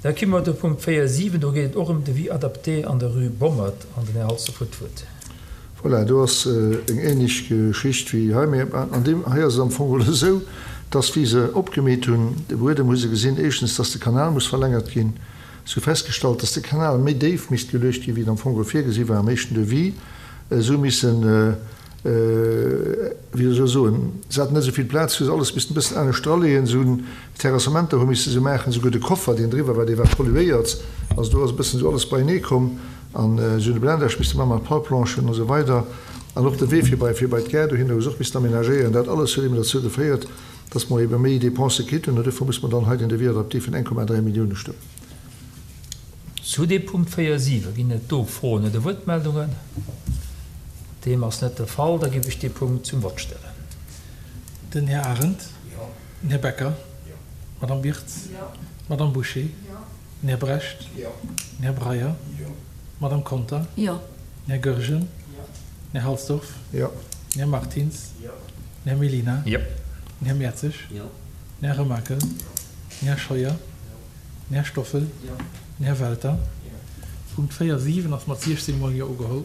Da komme mer de Punkt 4, 7, do geet et och ëm Devis adapté an der Rue Bommert an den Här Halsdorf huet d'Wuert. Voilà, do ass eng ähnlech Geschicht wéi hei, mä an deem hei ass et am Fong geholl esou, dass wéi se opgemeet hunn de Buedem, hu se gesinn, éischtens, dass de Kanal muss verlängert ginn. Se hu festgestallt, dass de Kanal méi déif misst geluecht ginn, wéi et am Fong geholl virgesi war am éischten Devis. Se hu missen, wéi soll ech soen, se haten net esou vill Plaz, hu se alles missten e bëssen anescht draleeën. Se hunn Terrassementer hu misse se maachen, souguer de Koffer, deen driwwer war, dee war polluéiert. Also do ass e bëssen esou alles beienee komm. An se hunn de Blindage misste maachen mat Palplanchen an esou weider. An och de Wee fir bei fir bei d'Gare dohinner hu se och missten aménagéieren. Dat alles huet eben derzou geféiert, dass mer ebe méi Dépensë kritt hunn. An duerfir muss mer dann hei den Devis adapté vun 1,3 Millioune stëmmen. Zu deem Punkt 4, 7 ginn et do Froen oder Wuertmeldungen? Deem ass net de Fall. Da géif ech dee Punkt zum Vott stellen. Den Här Arendt. Den Här Becker. D'Madame Wirtz. D'Madame Bouché. Den Här Brecht. Den Här Breyer. D'Madame Conter. Den Här Goergen. Den Här Halsdorf. Den Här Martins. Den Här Mellina. Den Här Mertzig. Den Här Remakel. Den Här Scheuer. Den Här Stoffel. Den Här Welter. Punkt 4, 7 ass mat 16 mol Jo ugeholl.